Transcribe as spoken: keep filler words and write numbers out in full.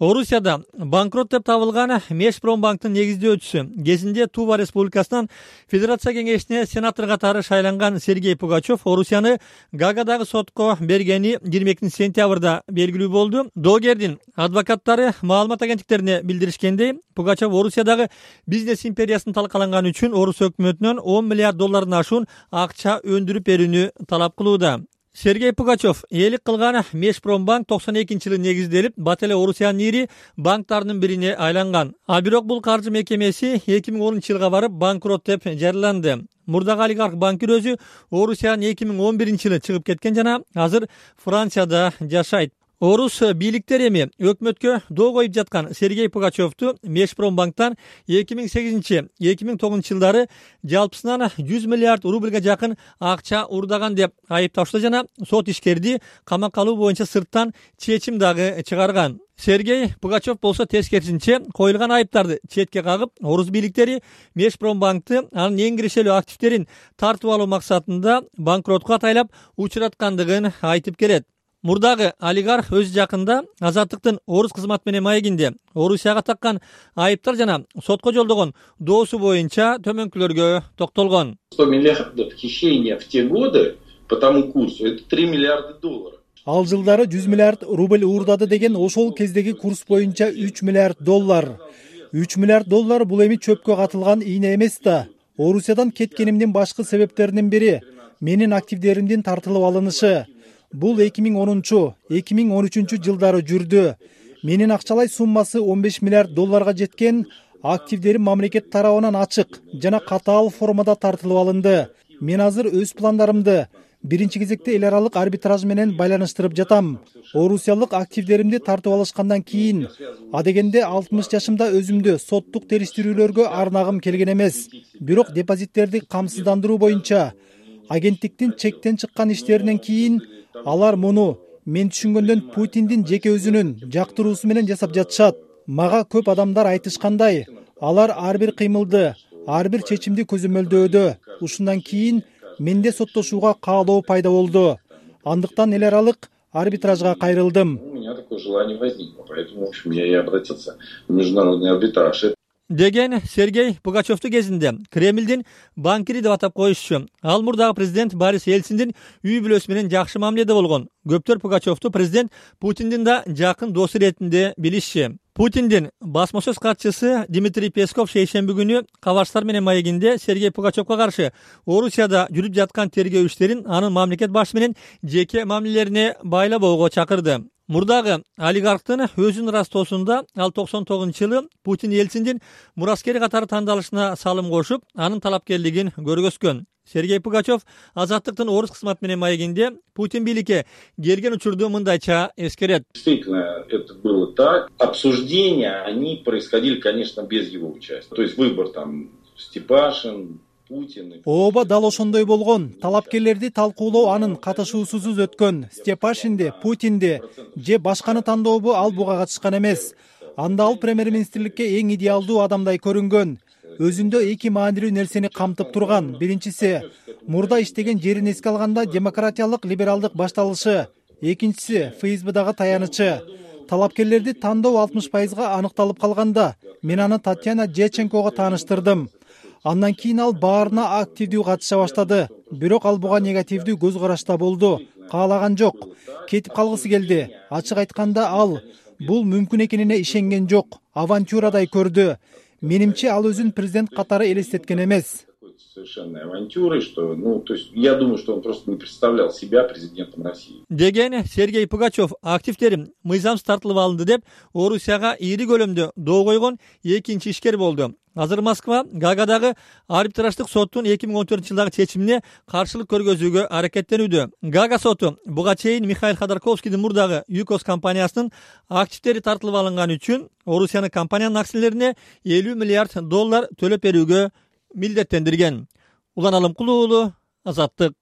Орусияда банкрот деп табылган Межпромбанктын негиздөөчүсү кезинде Тува Республикасынан Федерация кеңешине сенатор катары шайланган Сергей Пугачев Орусияны Гаагадагы сотко бергени жыйырма экинчи сентябрда белгилүү болду. Доогердин адвокаттары маалымат агенттиктерине билдиришкендей, Пугачев Орусиядагы бизнес империясын талкаланганы үчүн Орус өкмөтүнөн он миллиард доллардан ашуун акча өндүрүп берүүнү талап кылууда. Сергей Пугачев ээлик кылган Межпромбанк токсон экинчи жылы негизделип, бат эле Орусиянын ири банктарынын бирине айланган. А бирок бул каржы мекемеси эки миң онунчу жылга барып банкрот деп жарыяланды. Мурдагы олигарх банкир өзү Орусиядан эки миң он биринчи жылы чыгып кеткен жана азыр Францияда жашайт. Орус бийликтери эми өкмөткө доо коюп жаткан Сергей Пугачевду Межпромбанктан эки миң сегизинчи — эки миң тогузунчу жылдары жалпысынан жүз миллиард рубльга жакын акча уурдаган деп айыпташты жана сот ишкерди камакка алуу боюнча сырттан чечим дагы чыгарган. Сергей Пугачев болсо тескерисинче коюлган айыптарды четке кагып, орус бийликтери Межпромбанкты анын эң кирешелүү активдерин тартып алуу максатында банкротко атайлап учураткандыгын айтып келет. Мурдагы олигарх өз жакында Азаттыктын Орус кызмат менен маегинде Орусияга таккан айыптар жана сотко жолдогон доосу боюнча төмөнкүлөргө токтолгон. сто миллиардов хищения в те годы по тому курсу — это три миллиарда долларов. Ал жылдары жүз миллиард рубль уурдады деген ошол кездеги курс боюнча үч миллиард доллар. үч миллиард доллар бул эми чөпкө катылган ийне эмес да. Орусиядан кеткенимдин башкы себептеринин бири менин активдеримдин тартылып алынышы. Бул эки миң онунчу — эки миң он үчүнчү жылдары жүрдү. Менин акчалай суммасы он беш миллиард долларга жеткен, активдерим мамлекет тарабынан ачык жана катаал формада тартылып алынды. Мен азыр өз пландарымды биринчи кезекте эл аралык арбитраж менен байланыштырып жатам. Орусиялык активдеримди тартып алышкандан кийин, адегенде алтымыш жашымда өзүмдү соттук териштирүүлөргө арнагым келген эмес. Бирок депозиттерди камсыздандыруу боюнча агенттиктин чектен чыккан иштеринен кийин алар муну мен түшүнгөндөн Путиндин жеке өзүнүн жактыруусу менен жасап жатышат. Мага көп адамдар айтышкандай, алар ар бир кыймылды, ар бир чечимди көзөмөлдөөдө. Ушундан кийин менде соттошууга каалоо пайда болду. Андыктан эл аралык арбитражга кайрылдым. У меня такое желание возникло, поэтому, в общем, я и обратился в международный арбитраж. Деген Сергей Пугачевду кезинде Кремлдин банкири деп атап коюшчу. Ал мурдагы президент Борис Ельциндин үй бүлөсү менен жакшы мамиледе болгон. Көптөр Пугачевду президент Путиндин да жакын досу иретинде билишчи. Путиндин басма сөз катчысы Дмитрий Песков шейшемби күнү Кабарштар менен маегинде Сергей Пугачевга каршы Орусияда жүрүп жаткан тергөө иштерин анын мамлекет башы менен жеке мамилелерине байлабоого чакырды. Мурдагы олигархтын өзүнүн растоосунда ал токсон тогузунчу жылы Путин Ельциндин мураскери катары тандалышына салым кошуп, анын талапкерлигин көргөзгөн. Сергей Пугачев Азаттыктын Орус кызмат менен маегинде Путин бийликке келген учурду мындайча эскерет. Действительно, это было так. Обсуждения, они происходили, конечно, без его участия. То есть выбор там Степашин, Путин. Ооба дал ошондой болгон. Талапкерлерди талкуулоо анын катышуусусуз өткөн. Степашинди, Путинди же башканы тандообу ал буга катышкан эмес. Анда ал премьер-министрликке эң идеалдуу адамдай көрүнгөн. Өзүндө эки маанилүү нерсени камтып турган. Биринчиси, мурда иштеген жерин эске алганда демократиялык либералдык башталышы. Экинчиси, ФСБдагы таянычы. Талапкерлерди тандоо алтымыш пайызга аныкталып калганда, мен аны Татьяна Дьяченкого тааныштырдым. Андан кийин ал баарына активдүү катыша баштады. Бирок ал буга негативдүү көз карашта болду. Каалаган жок. Кетип калгысы келди. Ачык айтканда ал бул мүмкүн экенине ишенген жок. Авантюрадай көрдү. Менимче ал өзүн президент катары элестеткен эмес. Совершенной авантюрой, что, ну, то есть, я думаю, что он просто не представлял себя президентом России. Деген Сергей Пугачев активдерим мыйзамсыз тартылып алынды деп Орусияга ири көлөмдө доо койгон экинчи ишкер болду. Азыр Москва Гаагадагы арбитраждык соттун эки миң он төртүнчү жылдагы чечимине каршылык көргөзүүгө аракеттенүүдө. Гаага соту буга чейин Михаил Ходорковскийдин мурдагы ЮКОС компаниясынын активдери тартылып алынганы үчүн Орусиянын компаниянын акциялерине элүү миллиард доллар төлөп берүүгө милдеттендирген. Улан Алымкулуу, Азаттык.